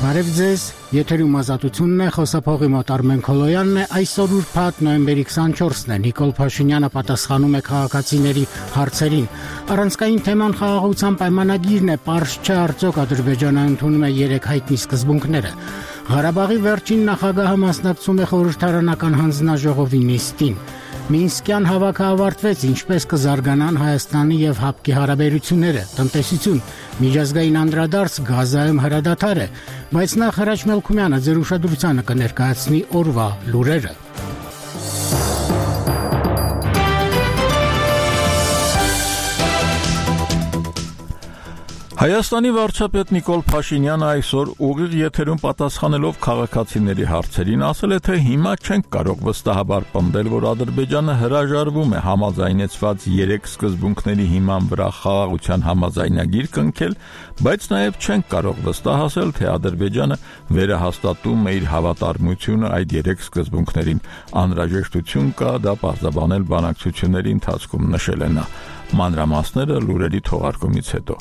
Բարև ձեզ, եթերում ազատությունն է, խոսափողի մոտ Արմեն Քոլոյանն է, այսօր ուրբաթ նոյեմբերի 24-ն է, Նիկոլ Փաշինյանը պատասխանում է քաղաքացիների հարցերին, առանցքային թեման խաղաղության պայմանագիրն է, պարզ չէ արդյոք Ադրբեջանը ընդունում է 3 հայտնի սկզբունքները, Ղարաբաղի վերջին նախագահը մասնակցում է խորհրդարանական հանձնաժողովի նիստին, Մինսկյան հավաքը ավարտվեց, ինչպես կզարգանան Հայաստանի եւ ՀԱՊԿ-ի հարաբերությունները, տնտեսություն, միջազգային անդրադարձ Գազայում հրադադար է, բայց նախ Հրաչ Մելքումյանը ձեր ուշադրությանը կներկայացնի օրվա լուրերը։ Հայաստանի վարչապետ Նիկոլ Փաշինյանը այսօր ուղիղ եթերում պատասխանելով քաղաքացիների հարցերին ասել է, թե հիմա չենք կարող վստահաբար պնդել, որ Ադրբեջանը հրաժարվում է համաձայնեցված 3 սկզբունքների հիման վրա խաղաղության համաձայնագիր կնքել, բայց նաև չենք կարող վստահ ասել, թե Ադրբեջանը վերահաստատում է իր հավատարմությունը այդ 3 սկզբունքներին։ Անհրաժեշտություն կա դա պարզաբանել բանակցությունների ընթացքում, նշել է նա։ Մանրամասները լուրերի թողարկումից հետո։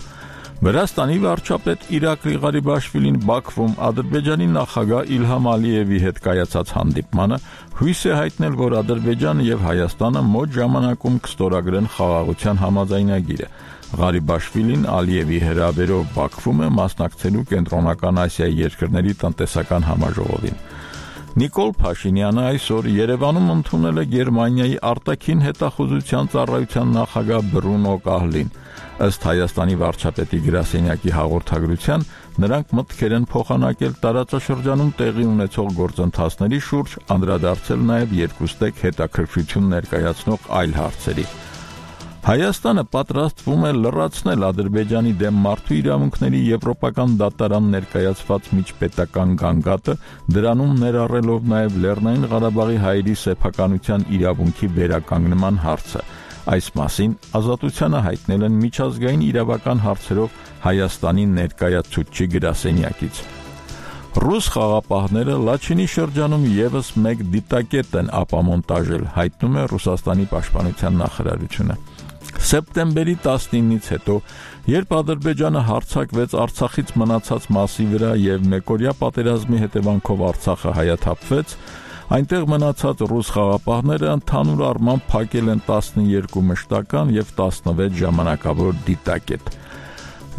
Վրաստանի վարչապետ Իրակլի Ղարիբաշվիլին Բաքվում Ադրբեջանի նախագահ Իլհամ Ալիևի հետ կայացած հանդիպմանը հույս է հայտնել, որ Ադրբեջանը եւ Հայաստանը մոտ ժամանակում կստորագրեն խաղաղության համաձայնագիրը։ Ղարիբաշվիլին Ալիևի հրավերով Բաքվում է մասնակցելու Կենտրոնական Ասիայի երկրների տնտեսական համաժողովին։ Նիկոլ Փաշինյանը այսօր Երևանում ընդունել է Գերմանիայի արտաքին հետախուզության ծառայության նախագահ Բրունո Կահլին։ Ըստ Հայաստանի վարչապետի գրասենյակի հաղորդագրության, նրանք մտքեր են փոխանակել տարածաշրջանում տեղի ունեցող գործընթացների շուրջ, անդրադարձել նաև երկուստեք հետաքրքրություն ներկայացնող այլ հարցերի։ Հայաստանը պատրաստվում է լրացնել Ադրբեջանի դեմ մարդու իրավունքների եվրոպական դատարան ներկայացված միջպետական գանգատը, դրանում ներառելով նաև Լեռնային Ղարաբաղի հայերի սեփականության իրավունքի վերականգնման հարցը։ Այս մասին Ազատությանը հայտնել են միջազգային իրավական հարցերով Հայաստանի ներկայացուցչի գրասենյակից։ Ռուս խաղապահները Լաչինի շրջանում եւս մեկ դիտակետ են ապամոնտաժել, հայտնում է Ռուսաստանի պաշտպանության նախարարությունը։ Սեպտեմբերի 19-ից հետո, երբ Ադրբեջանը հարձակվեց Արցախից մնացած մասի վրա եւ մեկօրյա պատերազմի հետևանքով Արցախը հայաթափվեց, այնտեղ մնացած ռուս խաղապահները ընդհանուր առմամբ փակել են 12 մշտական եւ 16 ժամանակավոր դիտակետ։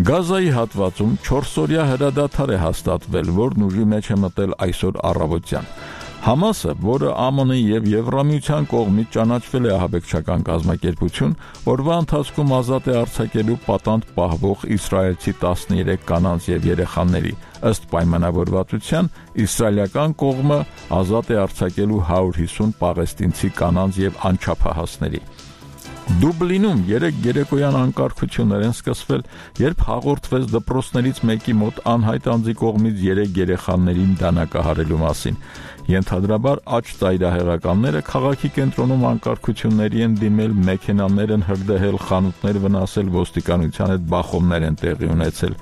Գազայի հատվածում 4-օրյա հրադադար է հաստատվել, որն ուժի մեջ է մտել այսօր առավոտյան։ Համասը, որը ԱՄՆ-ի եւ Եվրամիության կողմից ճանաչվել է ահաբեկչական կազմակերպություն, օրվա ընթացքում ազատ է արձակելու պատանդ պահվող իսրայելցի 13 կանանց եւ երեխաների։ Ըստ պայմանավորվածության, իսրայելական կողմը ազատ է արձակելու 150 պաղեստինցի կանանց եւ անչափահասների։ Դուբլինում 3 երեկոյան անկարգություններ են սկսվել, երբ հաղորդվեց դպրոցներից մեկի մոտ անհայտ անձի կողմից 3 երեխաներին դանակահարելու մասին։ Ենթադրաբար աճ ծայրահեղականները քաղաքի կենտրոնում անկարգությունների են դիմել, մեքենաներ են հրդեհել, խանութներ վնասել, ոստիկանության հետ բախումներ են տեղի ունեցել։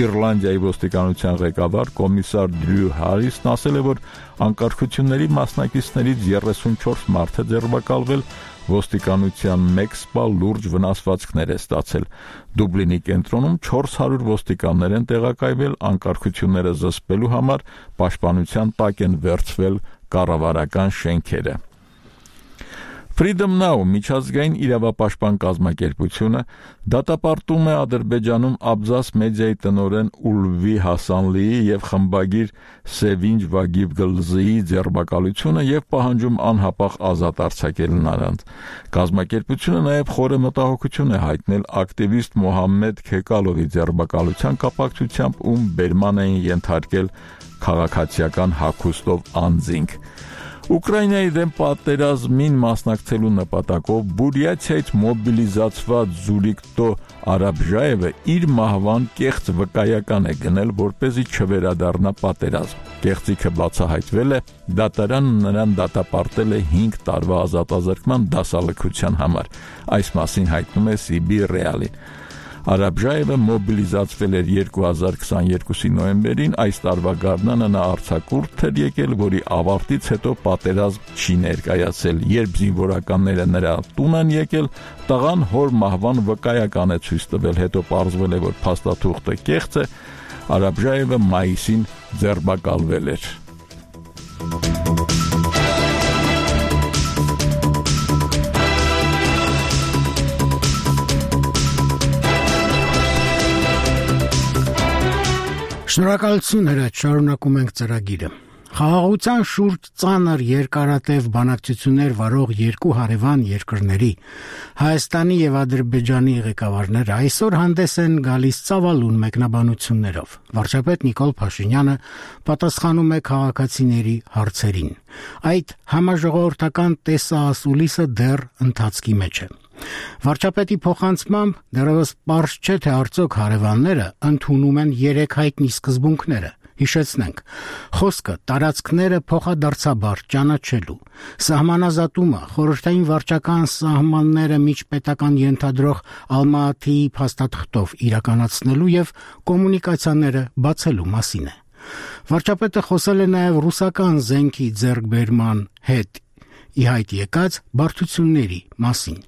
Իռլանդիայի ոստիկանության ղեկավար կոմիսար Դրյու Հարիսն ասել է, որ անկարգությունների մասնակիցներից 34 մարդ է ձերբակալվել, ոստիկանության 1 սպա լուրջ վնասվածքներ է ստացել։ Դուբլինի կենտրոնում 400 ոստիկաններ են տեղակայվել, անկարգությունները զսպելու համար պաշտպանության տակ են վերցվել կառավարական շենքերը։ Freedom Now միջազգային իրավապաշտպան կազմակերպությունը դատապարտում է Ադրբեջանում Աբզաս մեդիայի տնօրեն Ուլվի Հասանլիի եւ խմբագիր Սևինջ Վագիվգլզիի ձերբակալությունը եւ պահանջում անհապաղ ազատ արձակել նրանց։ Կազմակերպությունը նաեւ խորը մտահոգություն է հայտնել ակտիվիստ Մոհամմեդ Քեկալովի ձերբակալության կապակցությամբ, ում բերման էին ենթարկել քաղաքացիական հագուստով անձինք։ Ուկրաինայի դեմ պատերազմին մասնակցելու նպատակով Բուրյաթիայից մոբիլիզացված Զուրիկտո Արաբժաևը իր մահվան կեղծ վկայական է գնել, որպեսզի չվերադառնա պատերազմ։ Կեղծիքը բացահայտվել է, դատարանը նրան դատապարտել է 5 տարվա ազատազրկման դասալքության համար։ Այս մասին հայտնում է Սիբի Ռեալին։ Արաբժաևը մոբիլիզացվել էր 2022-ի նոյեմբերին, այս տարվա գարնանը նա արձակուրդ էր եկել, որի ավարտից հետո պատերազմ չի ներկայացել։ Երբ զինվորականները նրա տուն են եկել, տղան հոր մահվան վկայական է ցույց տվել, հետո պարզվել է, որ փաստաթուղթը կեղծ է, Արաբժաևը մայիսին ձերբակալվել էր։ Շնորհակալություն հրաչ, շարունակում ենք ծրագիրը։ Խաղաղության շուրջ ծանր երկարատև բանակցություններ վարող երկու հարևան երկրների Հայաստանի եւ Ադրբեջանի ղեկավարները այսօր հանդես են գալիս ծավալուն մեկնաբանություններով։ Վարչապետ Նիկոլ Փաշինյանը պատասխանում է քաղաքացիների հարցերին։ Այդ համաժողովրդական տեսահասուլիսը դեռ ընթացքի մեջ է։ Վարչապետի փոխանցմամբ դեռևս պարզ չէ, թե արդյոք հարևանները ընդունում են 3 հայտնի սկզբունքները։ Հիշեցնենք, խոսքը տարածքները փոխադարձաբար ճանաչելու, սահմանազատումը, խորհրդային վարչական սահմանները միջպետական ենթադրող Ալմատիի փաստաթղթով իրականացնելու եւ կոմունիկացիաները բացելու մասին է։ Վարչապետը խոսել է նաեւ ռուսական զենքի ձեռքբերման հետ ի հայտ եկած բարդությունների մասին։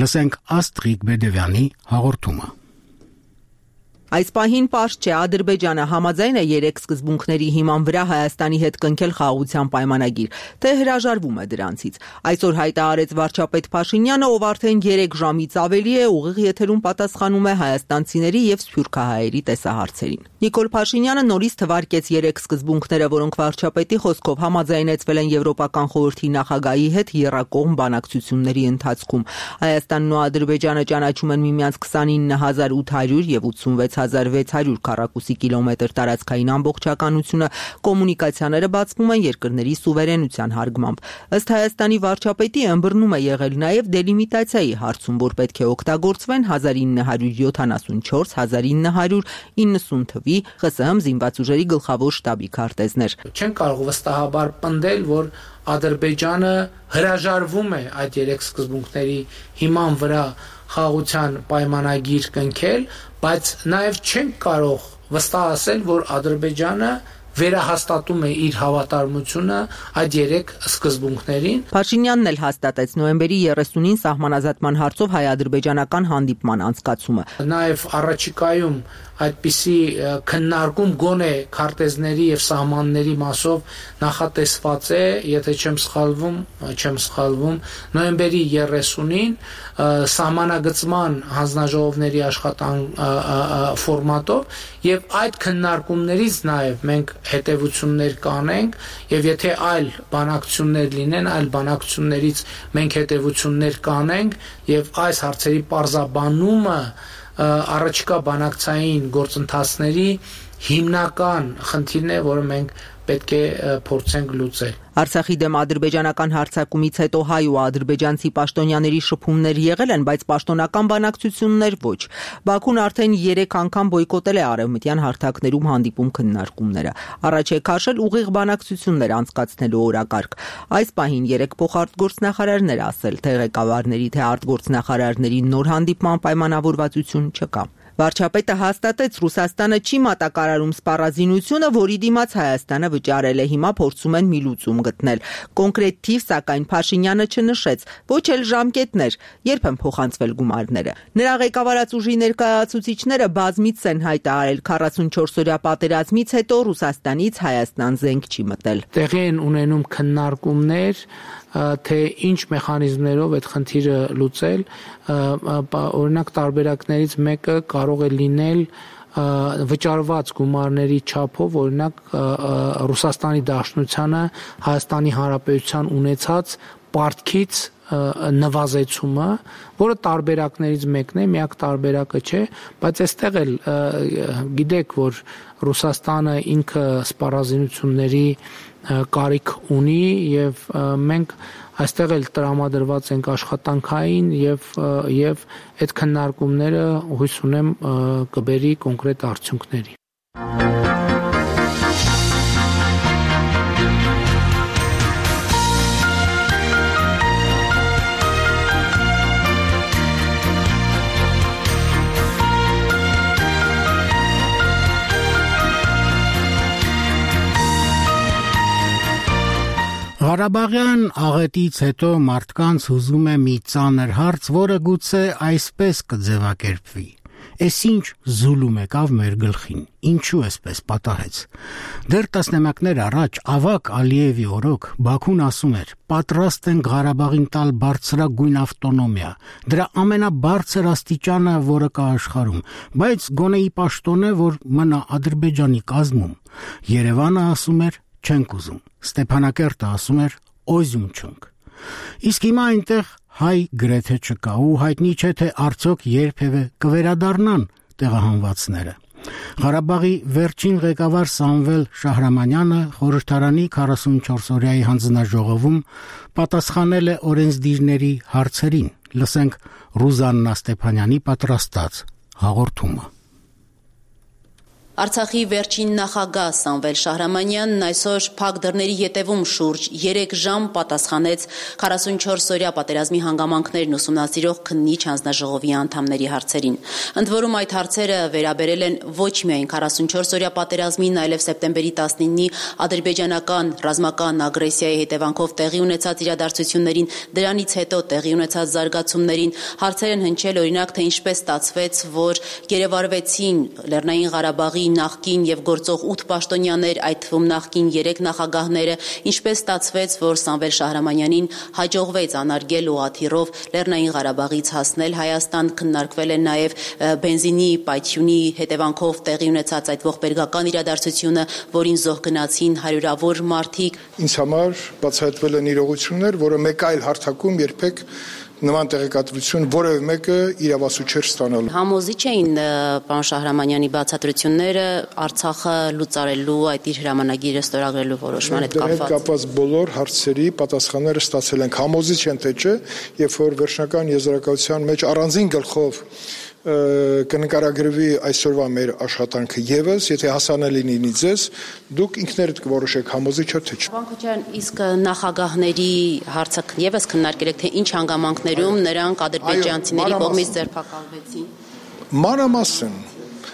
Լսենք Աստրիկ Բեդևյանի հաղորդումը։ Այս պահին պարզ չէ, Ադրբեջանը համաձայն է 3 սկզբունքների հիման վրա Հայաստանի հետ կնքել խաղաղության պայմանագիր, թե հրաժարվում է դրանցից։ Այսօր հայտարարեց վարչապետ Փաշինյանը, ով արդեն 3 ժամից ավելի է ուղիղ եթերում պատասխանում է հայաստանցիների եւ սփյուռքահայերի տեսահարցերին։ Նիկոլ Փաշինյանը նորից թվարկեց 3 սկզբունքները, որոնք վարչապետի խոսքով համաձայնեցվել են Եվրոպական խորհրդի նախագահի հետ եռակողմ բանակցությունների ընթացքում։ Հայաստանն ու Ադրբեջանը ճանաչում են միմյանց 29800 եւ 86600 քառակուսի կիլոմետր տարածքային ամբողջականությունը, կոմունիկացիաները բացվում են երկրների սուվերենության հարգմամբ։ Ըստ Հայաստանի վարչապետի ըմբռնում է եղել նաեւ դելիմիտացիայի հարցում, որ պետք է օգտագործվեն 1974-1990 թվի ԽՍՀՄ զինված ուժերի գլխավոր շտաբի քարտեզներ։ Չեն կարող վստահաբար պնդել, որ Ադրբեջանը հրաժարվում է այդ 3 սկզբունքների հիման վրա խաղաղության պայմանագիր կնքել, բայց նաև չենք կարող վստահ ասել, որ Ադրբեջանը վերահաստատում է իր հավատարմությունը այդ 3 սկզբունքներին։ Փաշինյանն էլ հաստատեց նոյեմբերի 30-ին սահմանազատման հարցով հայ-ադրբեջանական հանդիպման անցկացումը։ Նաև առաջիկայում այդպիսի քննարկում գոնե քարտեզների եւ սահմանների մասով նախատեսված է, եթե չեմ սխալվում, նոյեմբերի 30-ին սահմանագծման հանձնաժողովների ֆորմատով եւ այդ քննարկումներից նաեւ մենք հետևություններ կանենք եւ եթե այլ բանակցություններ լինեն, այլ բանակցություններից մենք հետևություններ կանենք եւ այս հարցերի պարզաբանումը առաջիկա բանակցային գործընթացների հիմնական խնդիրն է, որը մենք պետք է փորձենք լուծել։ Արցախի դեմ ադրբեջանական հարձակումից հետո հայ ու ադրբեջանցի պաշտոնյաների շփումներ եղել են, բայց պաշտոնական բանակցություններ ոչ։ Բաքուն արդեն 3 անգամ բոյկոտել է արևմտյան հարթակներում հանդիպում քննարկումները։ Առաջ է քաշել ուղիղ բանակցություններ անցկացնելու օրակարգ։ Այս պահին 3 փոխարտգործնախարարներ ասել, թե ղեկավարների, թե արտգործնախարարների նոր հանդիպման պայմանավորվածություն չկա։ Վարչապետը հաստատեց, Ռուսաստանը չի մատակարարում սպառազինությունը, որի դիմաց Հայաստանը վճարել է, հիմա փորձում են մի լուծում գտնել։ Կոնկրետ թիվ, սակայն Փաշինյանը չնշեց, ոչ էլ ժամկետներ, երբ են փոխանցվել գումարները։ Նրա ղեկավարած ուժի ներկայացուցիչները բազմից են հայտարարել 44-օրյա պատերազմից հետո Ռուսաստանից Հայաստան զենք չի մտել։ Տեղի են ունենում քննարկումներ, թե ինչ մեխանիզմներով այդ խնդիրը լուծել, օրինակ տարբերակներից մեկը կարող է լինել վճարված գումարների չափով, օրինակ Ռուսաստանի Դաշնությանը Հայաստանի Հանրապետության ունեցած պարտքից նվազեցումը, որը տարբերակներից մեկն է, միակ տարբերակը չէ, բայց այստեղ էլ գիտեք, որ Ռուսաստանը ինքը սպառազինությունների կարիք ունի եւ մենք այստեղ էլ տրամադրված ենք աշխատանքային եւ այդ քննարկումները հույս ունեմ կբերի կոնկրետ արդյունքների։ Ղարաբաղյան աղետից հետո մարդկանց հուզում է մի ծանր հարց, որը գուցե այսպես կձևակերպվի. Էս ինչ զուլում եկավ մեր գլխին, ինչու էսպես պատահեց։ Դեռ տասնամյակներ առաջ Ավակ Ալիևի օրոք Բաքուն ասում էր. պատրաստ են Ղարաբաղին տալ բարձրագույն ավտոնոմիա, դրա ամենաբարձր աստիճանը, որը կա աշխարհում, բայց գոնե ի պաշտոն է, որ մնա Ադրբեջանի կազմում։ Երևանը ասում էր չենք ուզում, Ստեփանակերտը ասում էր օզում չունք։ Իսկ հիմա այնտեղ հայ գրեթե չկա ու հայտնի չէ թե արդյոք երբևէ կվերադառնան տեղահանվածները։ Ղարաբաղի վերջին ղեկավար Սամվել Շահրամանյանը խորհրդարանի 44-օրյայի հանձնաժողովում պատասխանել է օրենսդիրների հարցերին։ Լսենք Ռուզաննա Ստեփանյանի պատրաստած հաղորդումը։ Արցախի վերջին նախագահ Սամվել Շահրամանյանն այսօր փակ դռների ետևում շուրջ 3 ժամ պատասխանեց 44-օրյա պատերազմի հանգամանքներն ուսումնասիրող քննիչ հանձնաժողովի անդամների հարցերին։ Ընդ որում այդ հարցերը վերաբերել են ոչ միայն 44-օրյա պատերազմին, այլև սեպտեմբերի 19-ի ադրբեջանական ռազմական ագրեսիայի հետևանքով տեղի ունեցած իրադարձություններին, դրանից հետո տեղի ունեցած զարգացումներին, հարցեր են հնչել օրինակ թե ինչպես ստացվեց, որ գերեվարվեցին Լեռնային Ղարաբաղի նախկին եւ գործող 8 պաշտոնյաներ, այդ թվում նախկին 3 նախագահները, ինչպես ստացվեց, որ Սամվել Շահրամանյանին հաջողվեց անարգել ուղաթիռով Լեռնային Ղարաբաղից հասնել Հայաստան, քննարկվել է նաեւ բենզինի պայթյունի հետևանքով տեղի ունեցած այդ ողբերգական իրադարձությունը, որին զոհ գնացին հարյուրավոր մարդիկ։ Ինձ համար բացահայտվել են իրողություններ, որը մեկ այլ հարթակում երբեք նման տեղեկատվություն որևէ մեկը իրավասու չէր ստանալու։ Համոզիչ էին պարոն Շահրամանյանի բացատրությունները Արցախը լուծարելու այդ իր հրամանագիրը ստորագրելու որոշման հետ կապված։ Դրանից կապված բոլոր հարցերի պատասխանները ստացել ենք։ Համոզիչ են թե չէ, երբ որ վերջնական եզրակացության մեջ առանձին գլխով կնկարագրվի այսօրվա մեր աշխատանքը եւս, եթե հասանելի լինի ձեզ, դուք ինքներդ կորոշեք համոզիչ է թե չէ։ Պարոն Քոչարյան, իսկ նախագահների հարցը եւս քննարկել եք, թե ինչ հանգամանքներում նրանք ադրբեջանցիների կողմից ձերբակալվեցին։ Մանրամասն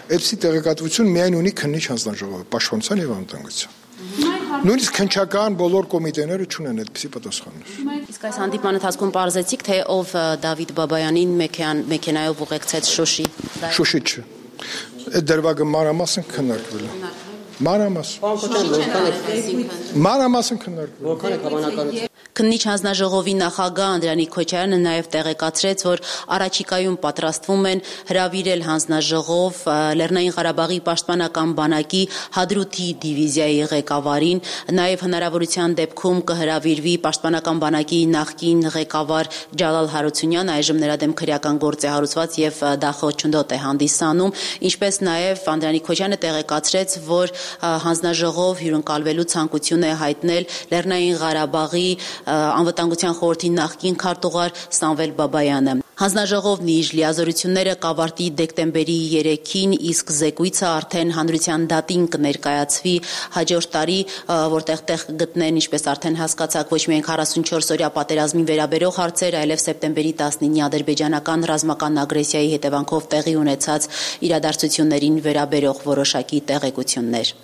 այդպիսի տեղեկատվություն միայն ունի քննիչ հանձնաժողովը, Պաշտպանության եւ Անվտանգության։ Նույնիսկ քննչական բոլոր կոմիտեները չունեն այդպիսի պատասխաններ։ Իսկ այս հանդիպման ընթացքում պարզեցիք, թե ով Դավիթ Բաբայանին մեքենայով ուղեկցեց Շուշի։ Շուշի չէ։ Այդ դրվագը մանրամասն քննարկվել է։ Մանրամասն քննարկվել։ Որքան է հավանական։ Քննիչ հանձնաժողովի նախագահ Անդրանիկ Քոչարյանը նաև տեղեկացրեց, որ առաջիկայում պատրաստվում են հրավիրել հանձնաժողով Լեռնային Ղարաբաղի պաշտպանական բանակի Հադրութի դիվիզիայի ղեկավարին, նաև հնարավորության դեպքում կհրավիրվի պաշտպանական բանակի նախկին ղեկավար Ջալալ Հարությունյանը, այժմ նրա դեմ քրեական գործ է հարուցված եւ դա խոչընդոտ է հանդիսանում, ինչպես նաև Անդրանիկ Քոչարյանը տեղեկացրեց, որ հանձնաժողով հյուրընկալվելու ցանկություն է հայտնել Լեռնային Ղարաբաղի Անվտանգության խորհրդի նախկին քարտուղար Սամվել Բաբայանը։ Հանձնաժողովն իր լիազորությունները կավարտի դեկտեմբերի 3-ին, իսկ զեկույցը արդեն հանրության դատին կներկայացվի հաջորդ տարի, որտեղ տեղ գտնեն, ինչպես արդեն հասկացաք, ոչ միայն 44-օրյա պատերազմին վերաբերող հարցեր, այլև սեպտեմբերի 19-ի ադրբեջանական ռազմական ագրեսիայի հետևանքով տեղի ունեցած իրադարձություններին վերաբերող որոշակի տեղեկություններ։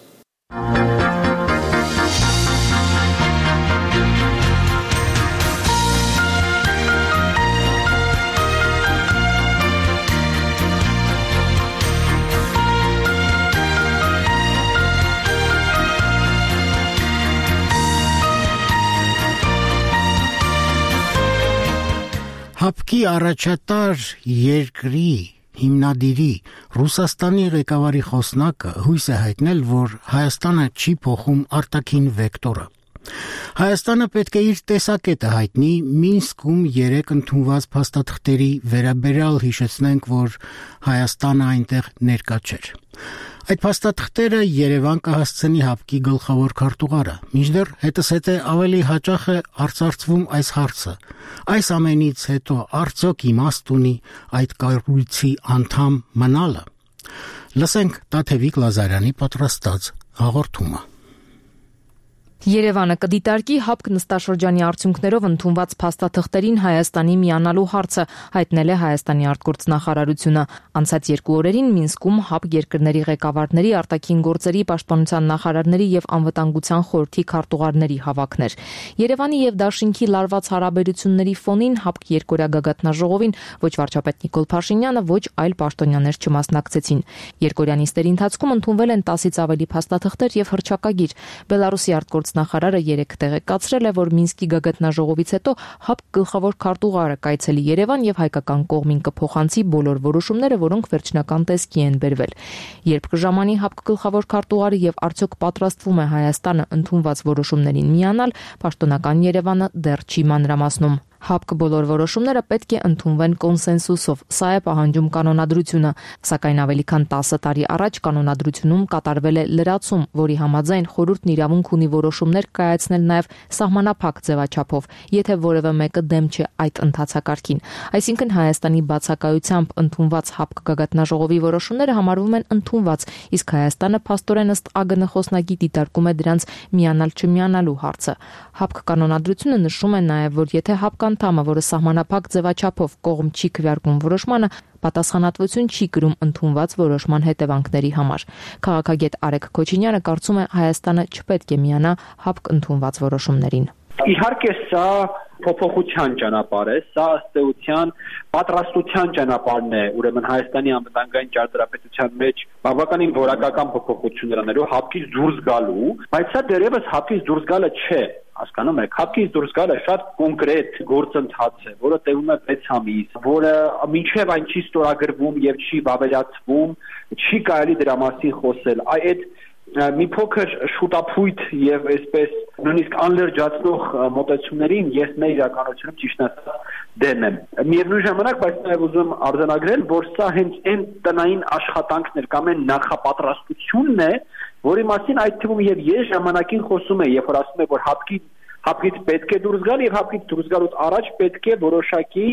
Հապկի առաջատար երկրի հիմնադիրի Ռուսաստանի ղեկավարի խոսնակը հույս է հայտնել, որ Հայաստանը չի փոխում արտաքին վեկտորը։ Հայաստանը պետք է իր տեսակետը հայտնի Մինսկում 3 ընդունված փաստաթղթերի վերաբերյալ, հիշեցնենք, որ Հայաստանը այնտեղ ներկա չէր։ Այդ փաստաթղթերը Երևան կհասցնի Հապկի գլխավոր քարտուղարը, մինչդեռ հետզհետե ավելի հաճախ է արծարծվում այս հարցը։ Այս ամենից հետո արդյոք իմաստ ունի այդ կառույցի անդամ մնալը։ Լսենք Տաթևիկ Լազարյանի պատրաստած հաղորդումը։ Երևանը կդիտարկի ՀԱՊԿ նստաշրջանի արդյունքներով ընդունված փաստաթղթերին Հայաստանի միանալու հարցը, հայտնել է Հայաստանի արտգործնախարարությունը։ Անցած 2 օրերին Մինսկում ՀԱՊԿ երկրների ղեկավարների, արտաքին գործերի, պաշտպանության նախարարների եւ անվտանգության խորհրդի քարտուղարների հավաքներ։ Երևանի եւ Դաշինքի լարված հարաբերությունների ֆոնին ՀԱՊԿ երկօրյա գագաթնաժողովին ոչ վարչապետ Նիկոլ Փաշինյանը, ոչ այլ պաշտոնյաներ չմասնակցեցին։ Երկօրյա նիստերի ընթացքում ընդունվել են 10-ից ավելի փաստաթղթեր եւ հռչակագիր։ Բելարուսի արտգործնախարարը երեկ տեղեկացրել է, որ Մինսկի գագաթնաժողովից հետո ՀԱՊԿ գլխավոր քարտուղարը կայցելի Երևան եւ հայկական կողմին կփոխանցի բոլոր որոշումները, որոնք վերջնական տեսքի են բերվել։ Երբ կժամանի ՀԱՊԿ գլխավոր քարտուղարը եւ արդյոք պատրաստվում է Հայաստանը ընդունված որոշումներին միանալ, պաշտոնական Երևանը դեռ չի մանրամասնում։ ՀԱՊԿ բոլոր որոշումները պետք է ընդունվեն կոնսենսուսով, սա է պահանջում կանոնադրությունը, սակայն ավելի քան 10 տարի առաջ կանոնադրությունում կատարվել է լրացում, որի համաձայն խորհուրդն իրավունք ունի որոշումներ կայացնել նաև սահմանափակ ձևաչափով, եթե որևէ մեկը դեմ չէ այդ ընթացակարգին։ Այսինքն Հայաստանի բացակայությամբ ընդունված ՀԱՊԿ գագաթնաժողովի որոշումները համարվում են ընդունված, իսկ Հայաստանը փաստորեն ըստ ԱԳՆ խոսնակի դիտարկում է դրանց միանալ-չմիանալու հարցը։ ՀԱՊԿ կանոնադրությունը նշում է նաև, որ եթե ՀԱՊԿ անդամը, որը սահմանափակ ձևաչափով կողմ չի քվեարկում որոշմանը, պատասխանատվություն չի կրում ընդունված որոշման հետևանքների համար։ Քաղաքագետ Արեգ Քոչինյանը կարծում է, Հայաստանը չպետք է միանա ՀԱՊԿ ընդունված որոշումներին։ Իհարկե սա փոփոխության ճանապարհ է, սա ըստ էության պատրաստության ճանապարհն է, ուրեմն Հայաստանի անվտանգային ճարտարապետության մեջ բավականին որակական փոփոխություններ անելու, ՀԱՊԿ-ից դուրս գալու, բայց սա դեռևս ՀԱՊԿ-ից դուրս գալը չէ, հասկանում եք, ՀԱՊԿ-ից դուրս գալը շատ կոնկրետ գործընթաց է, որը տևում է 6 ամիս, որը մինչև այն չի ստորագրվում եւ չի վավերացվում, չի կարելի դրա մասին խոսել, այդ մի փոքր շուտափույթ եւ այսպես նույնիսկ անլրջացնող մոտեցումներին ես մեր իրականությունում ճիշտ ասած դեմ եմ։ Միևնույն ժամանակ, բայց նաեւ ուզում արձանագրել, որ սա հենց այն տնային աշխատանքներ կամ այն նախապատրաստությունն է, որի մասին այդ թվում եւ ես ժամանակին խոսում եմ, երբ որ ասում եմ, որ ՀԱՊԿ-ից պետք է դուրս գալ եւ ՀԱՊԿ-ից դուրս գալուց առաջ պետք է որոշակի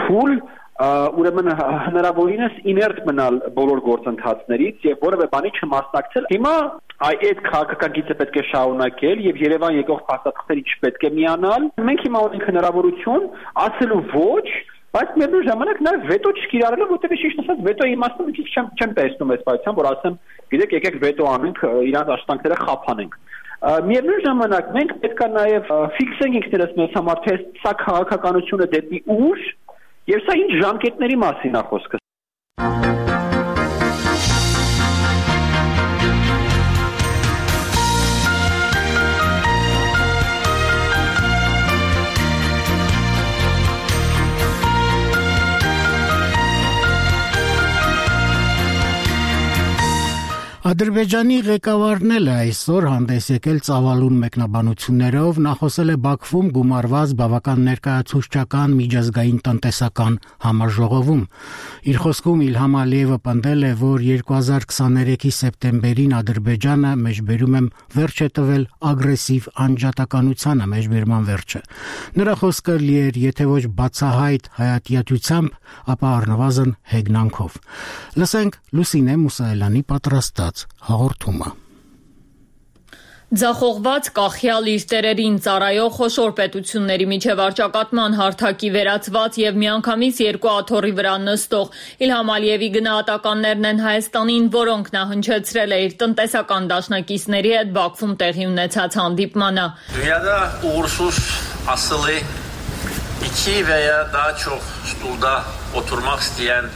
փուլ ուրեմն հնարավորինս իներտ մնալ բոլոր գործընթացներից եւ որևէ բանի չմասնակցել։ Հիմա այդ քաղաքագիծը պետք է շարունակել եւ Երևան եկող փաստաթղթերի չպետք է միանալ։ Մենք հիմա ունենք հնարավորություն ասելու ոչ, բայց միևնույն ժամանակ նաեւ վետո չկիրառելով, որտեղ ճիշտ ասած վետոյի իմաստը մի քիչ չեմ տեսնում այս պայծան, որ ասեմ, գիտեք, եկեք վետո անենք, իրանց աշխատանքները խափանենք։ Միևնույն ժամանակ մենք պետք է նաեւ ֆիքսենք ինքներս մեզ համար, թե սա քաղաքականությունը դեպի ուր եւ սա ինչ ժամկետների մասին է խոսքը։ Ադրբեջանի ղեկավարն էլ այսօր հանդես եկել ծավալուն մեկնաբանություններով, նախոսել է Բաքվում գումարված բավական ներկայացուցչական միջազգային տնտեսական համաժողովում։ Իր խոսքում Իլհամ Ալիևը պնդել է, որ 2023-ի սեպտեմբերին Ադրբեջանը մեջբերում եմ վերջ է տվել ագրեսիվ անջատականությանը, մեջբերման վերջը։ Նրա խոսքը լի էր, եթե ոչ բացահայտ հայատյացությամբ, ապա առնվազն հեգնանքով։ Լսենք Լուսինե Մուսայելյանի պատրաստած հաղորդումը։ Ձախողված կախյալ իր տերերին ծառայող խոշոր պետությունների միջև արճակատման հարթակի վերածված եւ միանգամից երկու աթոռի վրա նստող Իլհամ Ալիևի գնահատականներն են Հայաստանին, որոնք նա հնչեցրել է իր տնտեսական դաշնակիցների հետ Բաքվում տեղի ունեցած հանդիպմանը։ Dünyada uğursuz asılı 2 veya daha çok stulda oturmak isteyen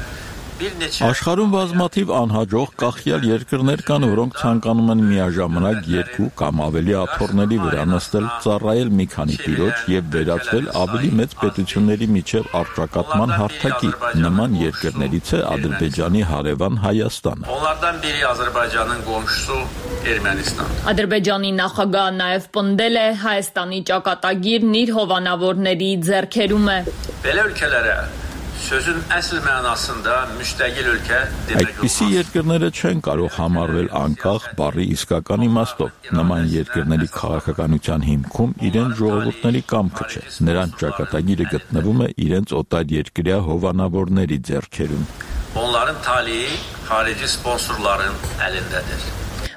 Աշխարհում բազմաթիվ անհաջող կախյալ երկրներ կան, որոնք ցանկանում են միաժամանակ 2 կամ ավելի աթոռների վրա նստել, ծառայել մի քանի տիրոջ եւ վերածվել ավելի մեծ պետությունների միջև առճակատման հարթակի։ Նման երկրներից է Ադրբեջանի հարևան Հայաստանը։ Onlardan biri Azerbaycan'ın komşusu Ermənistan։ Ադրբեջանի նախագահը նաև պնդել է Հայաստանի ճակատագիրն իր հովանավորների ձեռքերում է։ Belə ölkələrə sözün əsl mənasında müstəqil ölkə demək Այդպիսի երկրները չեն կարող համարվել անկախ բառի իսկական իմաստով։ Նման երկրների քաղաքականության հիմքում իրենց ժողովուրդների կամքը չէ։ Նրանց ճակատագիրը գտնվում է իրենց օտարերկրյա հովանավորների ձեռքերում։ Onların talihi xarici sponsorların əlindədir։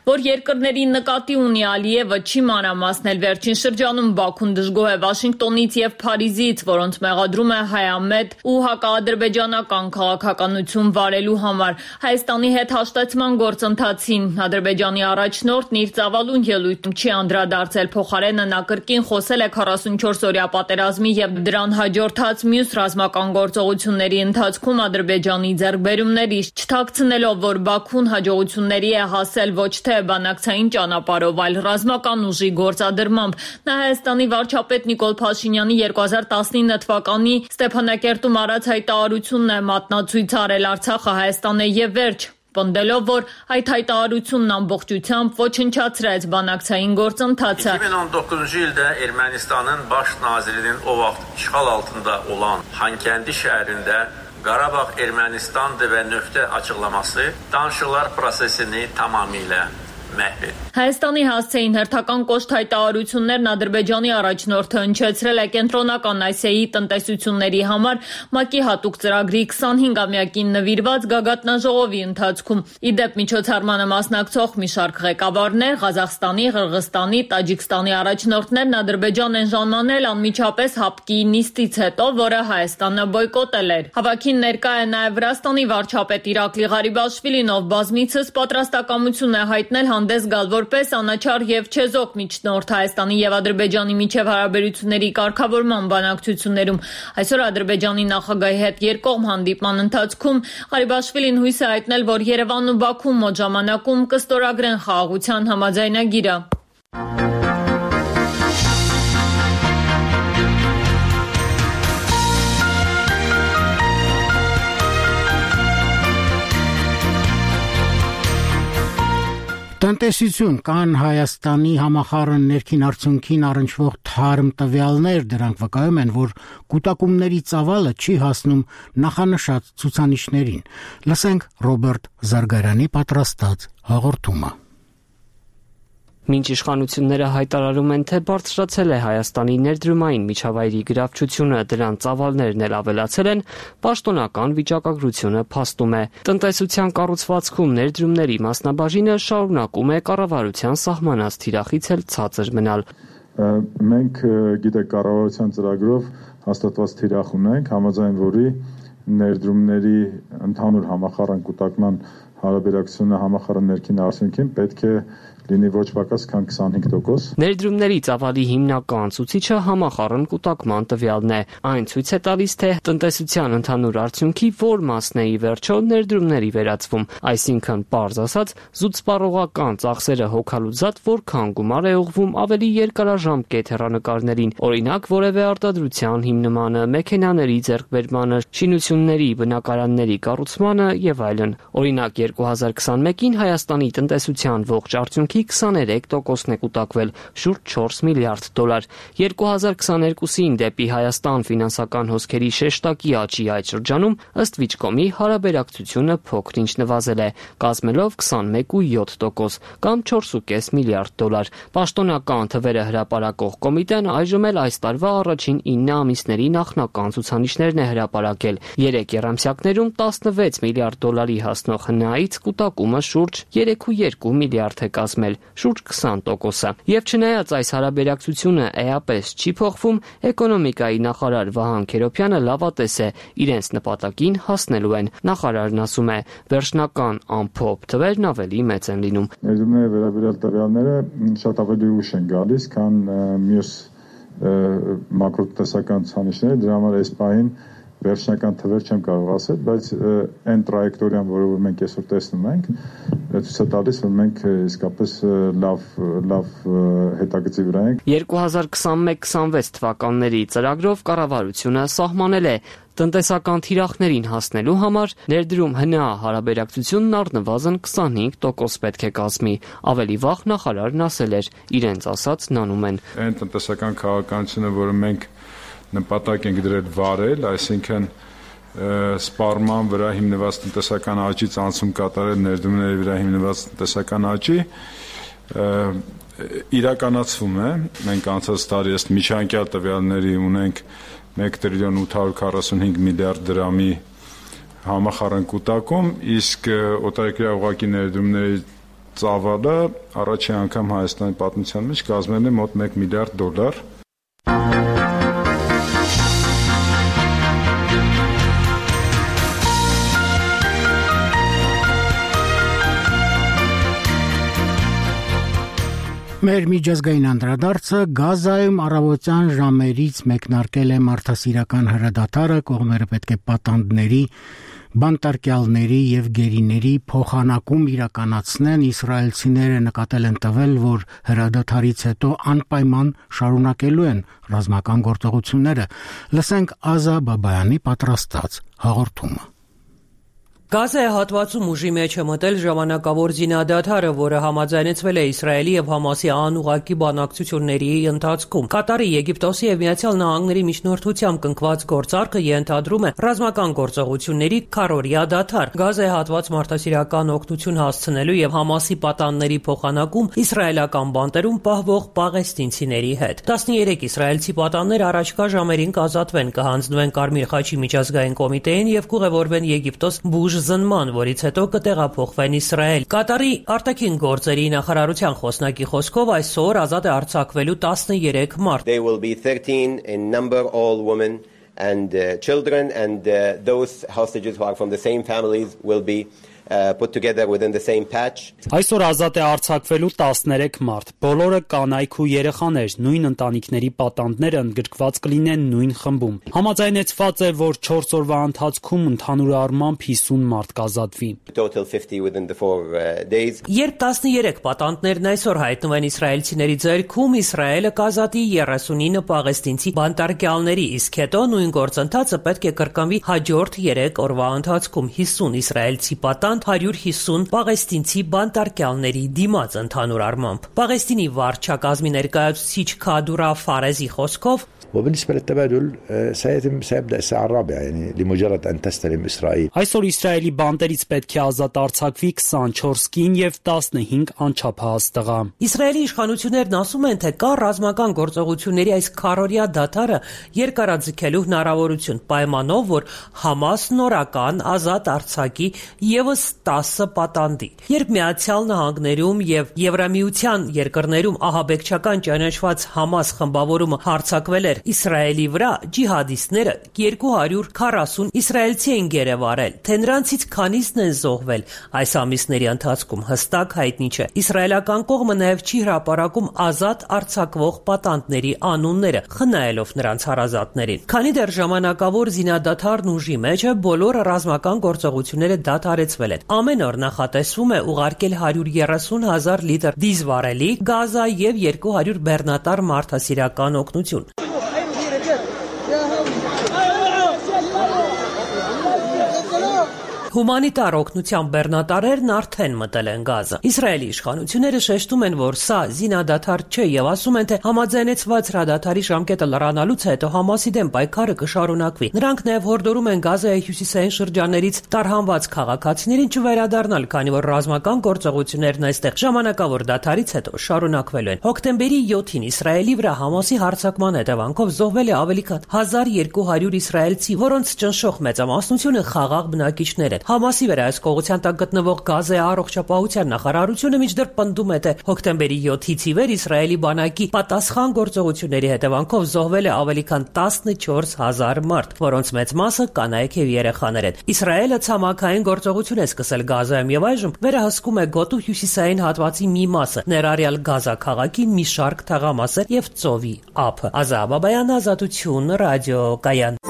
որ երկրների նկատի ունի Ալիևը չի մանրամասնել վերջին շրջանում Բաքուն դժգոհ է Վաշինգտոնից եւ Փարիզից, որոնց մեղադրում է հայամետ ու հակաադրբեջանական քաղաքականություն վարելու համար Հայաստանի հետ հաշտեցման գործընթացին Ադրբեջանի առաջնորդն իր ծավալուն ելույթում չի անդրադարձել, փոխարենը նա կրկին խոսել է 44-օրյա պատերազմի եւ դրան հաջորդած մյուս ռազմական գործողությունների ընթացքում Ադրբեջանի ձեռքբերումներից, չթաքցնելով, որ Բաքուն հաջողությունների է հասել ոչ թե բանակցային ճանապարհով, այլ ռազմական ուժի գործադրմամբ։ Նա Հայաստանի վարչապետ Նիկոլ Փաշինյանի 2019 թվականի Ստեփանակերտում արած հայտարարությունն է մատնացույց արել Արցախը Հայաստան է եւ վերջ, պնդելով, որ այդ հայտարարությունն ամբողջությամբ ոչնչացրեց բանակցային գործընթացը։ 2019-cu ildə Ermənistanın baş nazirinin o vaxt işğal altında olan Xankəndi şəhərində Qarabağ Ermənistandır və nöqtə açıqlaması danışıqlar prosesini tamamilə məhv etdi. Հայաստանի հասցեին հերթական կոշտ հայտարարություններն Ադրբեջանի առաջնորդը հնչեցրել է Կենտրոնական Ասիայի տնտեսությունների համար ՄԱԿ-ի հատուկ ծրագրի 25-ամյակին նվիրված գագաթնաժողովի ընթացքում։ Իդեպ միջոցառմանը մասնակցող մի շարք ղեկավարներ Ղազախստանի, Ղրղստանի, Տաջիկստանի առաջնորդներն Ադրբեջան են ժամանել անմիջապես ՀԱՊԿ-ի նիստից հետո, որը Հայաստանը բոյկոտել էր։ Հավաքին ներկա է նաև Վրաստանի վարչապետ Իրակլի Ղարիբաշվիլին, ով բազմիցս պատրաստակամություն է հայտնել հանդես գալ որպես անաչառ եւ չեզոք միջնորդ Հայաստանի եւ Ադրբեջանի միջև հարաբերությունների կարգավորման բանակցություններում։ Այսօր Ադրբեջանի նախագահի հետ երկկողմ հանդիպման ընթացքում Ղարիբաշվիլին հույս է հայտնել, որ Երևանն ու Բաքուն մոտ ժամանակում կստորագրեն խաղաղության համաձայնագիրը։ Տնտեսություն կան Հայաստանի համախառն ներքին արդյունքին առնչվող թարմ տվյալներ, դրանք վկայում են, որ կուտակումների ծավալը չի հասնում նախանշած ցուցանիշներին։ Լսենք Ռոբերտ Զարգարյանի պատրաստած հաղորդումը։ Մինչ իշխանությունները հայտարարում են, թե բարձրացել է Հայաստանի ներդրումային միջավայրի գրավչությունը, դրան ծավալներն էլ ավելացել են, պաշտոնական վիճակագրությունը փաստում է։ Տնտեսության կառուցվածքում ներդրումների մասնաբաժինը շարունակում է կառավարության սահմանած թիրախից էլ ցածր մնալ։ Մենք գիտեք կառավարության ծրագրով հաստատված թիրախ ունենք, համաձայն որի ներդրումների ընդհանուր համախառն կուտակման հարաբերակցությունը համախառն ներքին արդյունքին պետք է լինի ոչ պակաս քան 25%։ Ներդրումների ծավալի հիմնական ցուցիչը համախառն կուտակման տվյալն է։ Այն ցույց է տալիս, թե տնտեսության ընդհանուր արդյունքի որ մասն է ի վերջո ներդրումների վերածվում, այսինքն պարզ ասած, զուտսպառողական ծախսերը հոգալուց զատ որքան գումար է ուղղվում ավելի երկարաժամկետ հեռանկարներին, օրինակ որևէ արտադրության հիմնմանը, մեքենաների ձեռքբերմանը, շինությունների, բնակարանների կառուցմանը եւ այլն։ Օրինակ 2021-ին Հայաստանի տնտեսության ողջ արդյունքի 23%-ն է կուտակվել, շուրջ 4 միլիարդ դոլար։ 2022-ին դեպի Հայաստան ֆինանսական հոսքերի շեշտակի աճի այդ շրջանում ըստ Վիճկոմի հարաբերակցությունը փոքր-ինչ նվազել է, կազմելով 21.7% կամ 4.5 միլիարդ դոլար։ Պաշտոնական թվերը հրապարակող կոմիտեն այժմ էլ այս տարվա առաջին 9 ամիսների նախնական ցուցանիշներն է հրապարակել։ 3 եռամսյակներում 16 միլիարդ դոլարի հասնող հնայից կուտակումը շուրջ 3.2 միլիարդ է կազմել, շուրջ 20%-ը։ Եվ չնայած այս հարաբերակցությունը էապես չի փոխվում, էկոնոմիկայի նախարար Վահան Քերոբյանը լավատես է, իրենց նպատակին հասնելու են։ Նախարարն ասում է, վերջնական ամփոփ թվերն ավելի մեծ են լինում։ Ներդրումների վերաբերյալ տվյալները շատ ավելի ուշ են գալիս, քան մյուս մակրոտնտեսական ցուցանիշները, դրա համար այս պահին վերջնական թվեր չեմ կարող ասել, բայց այն տրայեկտորիան, որը մենք այսօր տեսնում ենք, ցույց է տալիս, որ մենք իսկապես լավ հետագծի վրա ենք։ 2021-26 թվականների ծրագրով կառավարությունը սահմանել է տնտեսական թիրախներին հասնելու համար ներդրում հնա հարաբերակցությունն առնվազն 25% պետք է կազմի։ Ավելի վաղ նախարարն ասել էր, իրենց ասածն անում են։ Այն տնտեսական քաղաքականությունը, որը մենք նպատակ ենք դրել վարել, այսինքն սպառման վրա հիմնված տնտեսական աճից անցում կատարել ներդրումների վրա հիմնված տնտեսական աճի իրականացվում է։ Մենք անցած տարի ըստ միջանկյալ տվյալների ունենք 1 տրիլիոն 845 միլիարդ դրամի համախառն կուտակում, իսկ օտարերկրյա ուղղակի ներդրումների ծավալը առաջին անգամ Հայաստանի պատմության մեջ կազմել է մոտ $1 միլիարդ։ Մեր միջազգային անդրադարձը Գազայում առավոտյան ժամերից մեկնարկել է մարդասիրական հրադադարը, կողմերը պետք է պատանդների, բանտարկյալների եւ գերիների փոխանակում իրականացնեն։ Իսրայելցիները նկատել են տվել, որ հրադադարից հետո անպայման շարունակելու են ռազմական գործողությունները։ Լսենք Ազա Բաբայանի պատրաստած հաղորդումը։ Գազայի հատվածում ուժի մեջ է մտել ժամանակավոր զինադադարը, որը համաձայնեցվել է Իսրայելի եւ Համասի անուղղակի բանակցությունների ընթացքում։ Կատարի, Եգիպտոսի եւ Միացյալ Նահանգների միջնորդությամբ կնքված գործարքը ենթադրում է ռազմական գործողությունների քառօրյա դադար, Գազայի հատված մարդասիրական օգնություն հասցնելու եւ Համասի պատանների փոխանակում իսրայելական բանտերում պահվող պաղեստինցիների հետ։ 13 իսրայելցի պատաններ առաջկա ժամերին կազատվեն, կհանձնվեն Կարմիր խաչի միջազգային կոմիտեին եւ կուղևորվեն Եգիպտոս զնման, որից հետո կտեղափոխվեն Իսրայել։ Կատարի արտաքին գործերի նախարարության խոսնակի խոսքով այսօր ազատ է արձակվելու 13 մարդ։ They will be 13 in number, all women and children, and those hostages who are from the same families will be put together within the same patch. Այսօր ազատ է արձակվելու 13 մարդ։ Բոլորը կանայք ու երեխաներ, նույն ընտանիքների պատանդները ընդգրկված կլինեն նույն խմբում։ Համաձայնեցված է, որ 4 օրվա ընթացքում ընդհանուր առմամբ 50 մարդ կազատվի։ Total 50 within the 4 days. Երբ 13 պատանդներն այսօր հայտնվեն իսրայելցիների ձեռքում, Իսրայելը կազատի 39 պաղեստինցի բանտարկյալների, իսկ հետո նույն գործընթացը պետք է կրկնվի հաջորդ 3 օրվա ընթացքում 50 իսրայելցի պատանդ 150 պաղեստինցի բանտարկյալների դիմաց ընդհանուր առմամբ։ Պաղեստինի վարչակազմի ներկայացուցիչ Քադուրա Ֆարեզի խոսքով وبالنسبة للتبادل سيبدأ الساعة الرابعة يعني لمجرد أن تستلم إسرائيل. Այսօր Իսրայելի բանտերից պետք է ազատ արձակվի 24 կին եւ 15 անչափահաս տղա։ Իսրայելի իշխանություններն ասում են, թե կա ռազմական գործողությունների այս քառօրյա դադարը երկարաձգելու հնարավորություն, պայմանով, որ Համաս նորական ազատ արձակի եւս 10 պատանդի։ Երբ Միացյալ Նահանգներում եւ Եվրամիության երկրներում ահաբեկչական ճանաչված Համաս խմբավորումը հարձակվել էր Իսրայելի վրա, ջիհադիստները 240 իսրայելցի են գերեվարել, թե նրանցից քանիսն են զոհվել այս ամիսների ընթացքում հստակ հայտնի չէ։ Իսրայելական կողմը նաև չի հրապարակում ազատ արձակվող պատանդների անունները, խնայելով նրանց հարազատներին։ Քանի դեռ ժամանակավոր զինադադարն ուժի մեջ է, բոլոր ռազմական գործողությունները դադարեցվել են։ Ամեն օր նախատեսվում է ուղարկել 130,000 լիտր դիզվառելի գազա եւ 200 բեռնատար մարդասիրական օգնություն։ Հումանիտար օգնության բեռնատարերն արդեն մտել են Գազա։ Իսրայելի իշխանությունները շեշտում են, որ սա զինադադար չէ եւ ասում են, թե համաձայնեցված հրադադարի ժամկետը լրանալուց հետո Համասի դեմ պայքարը կշարունակվի։ Նրանք նաեւ հորդորում են Գազայի հյուսիսային շրջաններից տարհանված քաղաքացիներին չվերադառնալ, քանի որ ռազմական գործողություններն այստեղ ժամանակավոր դադարից հետո շարունակվելու են։ Հոկտեմբերի 7-ին Իսրայելի վրա Համասի հարձակման հետևանքով զոհվել է ավելի քան 1200 իսրայելցի, որոնց ճնշող մեծամասնությունը խաղաղ բնակիչներ են։ Համասի վերահսկողության տակ գտնվող Գազայի առողջապահության նախարարությունը մինչդեռ պնդում է, թե հոկտեմբերի 7-ից ի վեր Իսրայելի բանակի պատասխան գործողությունների հետևանքով զոհվել է ավելի քան 14,000 մարդ, որոնց մեծ մասը կանայք եւ երեխաներ են։ Իսրայելը ցամաքային գործողություն է սկսել Գազայում եւ այժմ վերահսկում է գոտու հյուսիսային հատվածի մի մասը, ներառյալ Գազա քաղաքի մի շարք թաղամասեր եւ ծովի ափը։ Ազա Բաբայան, Ազատություն, ռադիոկայան։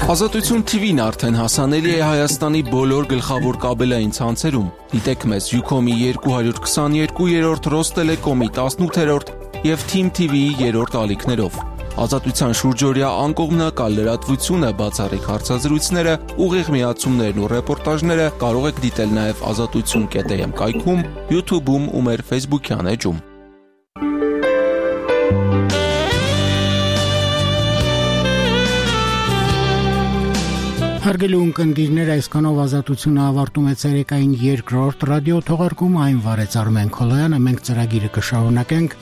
Ազատություն TV-ն արդեն հասանելի է Հայաստանի բոլոր գլխավոր կաբելային ցանցերում։ Դիտեք մեզ Ucom-ի 222-րդ, Ռոստելեկոմի 18-րդ եւ Team TV-ի 3-րդ ալիքներով։ Ազատության շուրջօրյա անկողմնակալ լրատվությունը, բացառիկ հարցազրույցները, ուղիղ միացումներն ու ռեպորտաժները կարող եք դիտել նաեւ azatutsun.am կայքում, YouTube-ում ու մեր Facebook-յան էջում։ Հարգելի ունկնդիրներ, այսքանով Ազատությունը ավարտում է ցերեկային 2-րդ ռադիո թողարկումը, այն վարեց Արմեն Քոլոյանը, մենք ծրագիրը կշարունակենք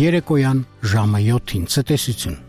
երեկոյան ժամը 7-ին։ Ցտեսություն։